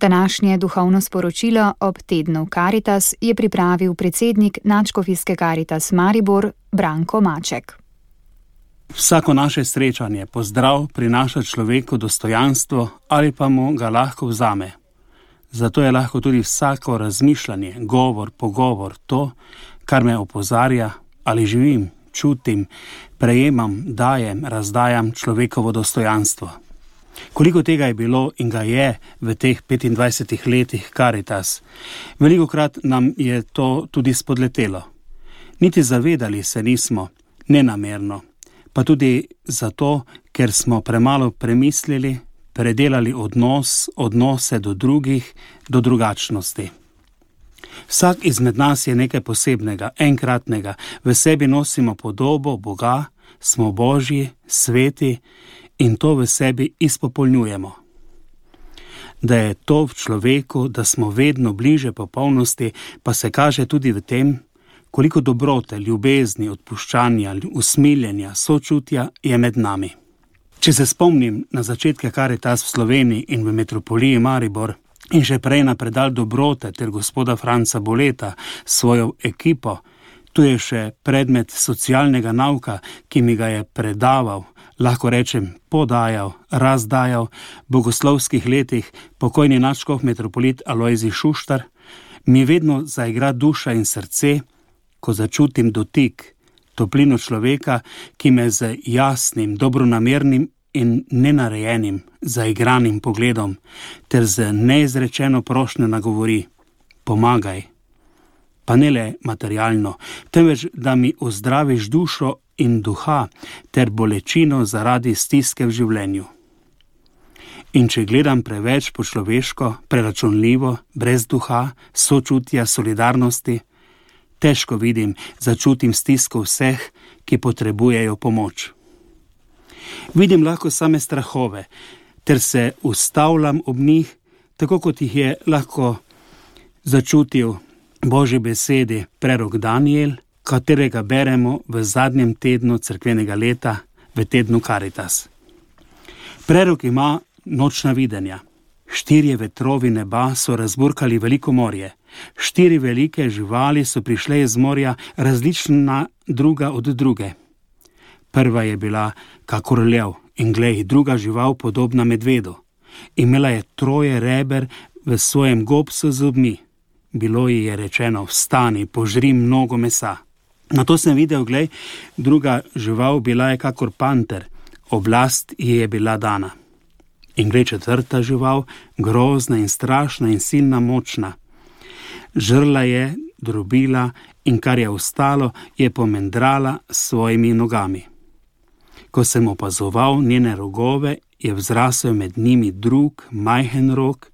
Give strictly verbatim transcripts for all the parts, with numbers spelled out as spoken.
Današnje duhovno sporočilo ob tednu Karitas je pripravil predsednik Nadškofijske Karitas Maribor Branko Maček. Vsako naše srečanje, pozdrav prinaša človeku dostojanstvo ali pa mu ga lahko vzame. Zato je lahko tudi vsako razmišljanje, govor, pogovor to, kar me opozarja ali živim, čutim, prejemam, dajem, razdajam človekovo dostojanstvo. Koliko tega je bilo in ga je v teh petindvajsetih letih Karitas, velikokrat nam je to tudi spodletelo. Niti zavedali se nismo, nenamerno, pa tudi zato, ker smo premalo premislili, predelali odnos, odnose do drugih, do drugačnosti. Vsak izmed nas je nekaj posebnega, enkratnega, v sebi nosimo podobo Boga, smo Božji, sveti in to v sebi izpopolnjujemo. Da je to v človeku, da smo vedno bliže popolnosti, pa se kaže tudi v tem, koliko dobrote, ljubezni, odpuščanja, usmiljenja, sočutja je med nami. Če se spomnim na začetke Karitas v Sloveniji in v metropoliji Maribor in še prej na predal dobrote ter gospoda Franca Boleta s svojo ekipo, tu je še predmet socialnega nauka, ki mi ga je predaval, lahko rečem podajal, razdajal v bogoslovskih letih pokojni nadškof metropolit Alojzij Šuštar, mi vedno zaigra duša in srce, ko začutim dotik, toplino človeka, ki me z jasnim, dobronamernim in nenarejenim, zaigranim pogledom ter z neizrečeno prošnjo nagovori: pomagaj. Pa ne le materialno, temveč da mi ozdraviš dušo in duha ter bolečino zaradi stiske v življenju. In če gledam preveč po človeško, preračunljivo, brez duha, sočutja, solidarnosti, težko vidim, začutim stisko vseh, ki potrebujejo pomoč. Vidim lahko same strahove, ter se ustavljam ob njih, tako kot jih je lahko začutil Božji besedi prerok Daniel, katerega beremo v zadnjem tednu cerkvenega leta, v tednu Karitas. Prerok ima nočna videnja. Štirje vetrovi neba so razburkali veliko morje. Štiri velike živali so prišle iz morja, različna druga od druge. Prva je bila kakor lev in glej, druga žival podobna medvedu. Imela je troje reber v svojem gobcu z zobmi. Bilo ji je rečeno: vstani, požri mnogo mesa. Nato sem videl, glej, druga žival bila je kakor panter, oblast ji je bila dana. In glej, četrta žival, grozna in strašna in silna močna. Žrla je, drobila in kar je ostalo, je pomendrala s svojimi nogami. Ko sem opazoval njene rogove, je vzrasel med njimi drug, majhen rog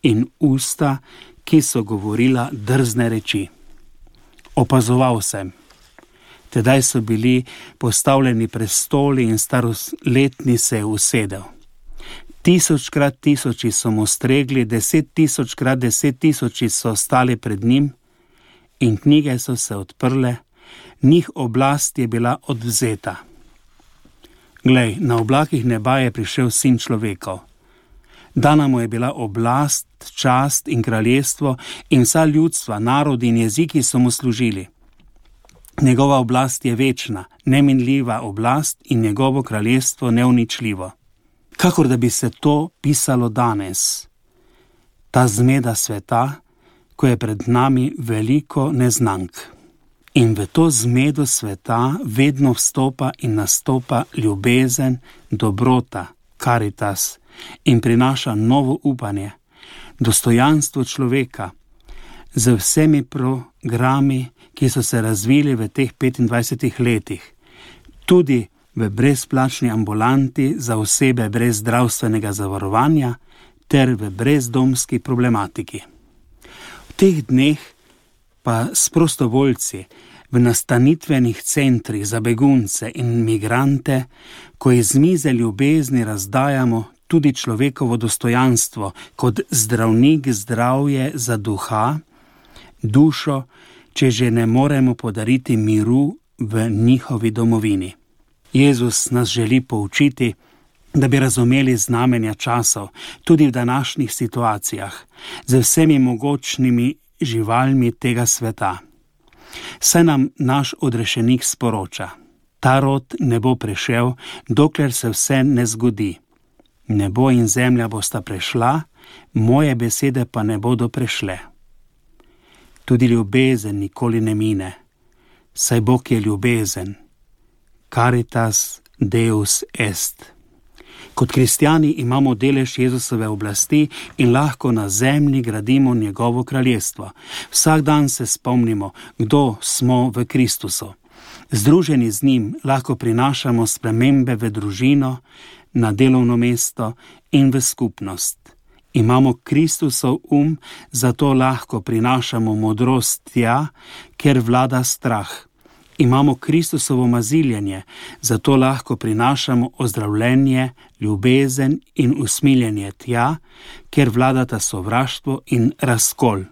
in usta, ki so govorila drzne reči. Opazoval sem. Tedaj so bili postavljeni prestoli in staroletni se je usedel. Tisočkrat tisoči so mu stregli, deset tisočkrat deset tisoči so stali pred njim in knjige so se odprle, njih oblast je bila odvzeta. Glej, na oblakih neba je prišel sin človekov. Dana mu je bila oblast, čast in kraljestvo in vsa ljudstva, narodi in jeziki so mu služili. Njegova oblast je večna, neminljiva oblast in njegovo kraljestvo neuničljivo. Kakor da bi se to pisalo danes, ta zmeda sveta, ko je pred nami veliko neznank. In v to zmedo sveta vedno vstopa in nastopa ljubezen, dobrota, Karitas in prinaša novo upanje, dostojanstvo človeka z vsemi programi, ki so se razvili v teh petindvajsetih letih, tudi v brezplačni ambulanti za osebe brez zdravstvenega zavarovanja ter v brezdomski problematiki. V teh dneh pa s prostovoljci v nastanitvenih centrih za begunce in migrante, ko iz mize ljubezni razdajamo tudi človekovo dostojanstvo kot zdravnik zdravje za duha, dušo, če že ne moremo podariti miru v njihovi domovini. Jezus nas želi poučiti, da bi razumeli znamenja časov, tudi v današnjih situacijah, z vsemi mogočnimi živalmi tega sveta. Saj nam naš odrešenik sporoča: ta rod ne bo prešel, dokler se vse ne zgodi. Nebo in zemlja bosta prešla, moje besede pa ne bodo prešle. Tudi ljubezen nikoli ne mine, saj Bog je ljubezen. Caritas Deus est. Kot kristjani imamo delež Jezusove oblasti in lahko na zemlji gradimo njegovo kraljestvo. Vsak dan se spomnimo, kdo smo v Kristusu. Združeni z njim lahko prinašamo spremembe v družino, na delovno mesto in v skupnost. Imamo Kristusov um, zato lahko prinašamo modrost tja, ker vlada strah. Imamo Kristusovo maziljenje, zato lahko prinašamo ozdravljenje, ljubezen in usmiljenje tja, ker vladata sovraštvo in razkol.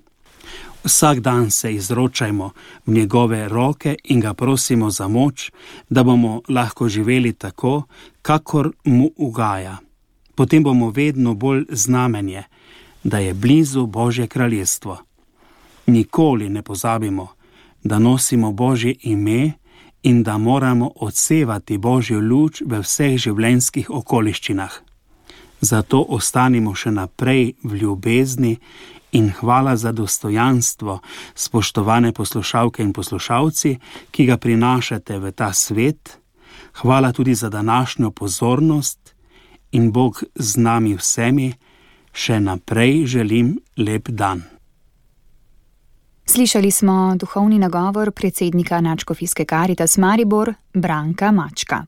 Vsak dan se izročajmo v njegove roke in ga prosimo za moč, da bomo lahko živeli tako, kakor mu ugaja. Potem bomo vedno bolj znamenje, da je blizu Božje kraljestvo. Nikoli ne pozabimo, da nosimo Božje ime in da moramo odsevati Božjo luč v vseh življenjskih okoliščinah. Zato ostanimo še naprej v ljubezni in hvala za dostojanstvo, spoštovane poslušalke in poslušalci, ki ga prinašate v ta svet. Hvala tudi za današnjo pozornost in Bog z nami vsemi. Še naprej želim lep dan. Slišali smo duhovni nagovor predsednika Nadškofijske Caritas Maribor Branka Mačka.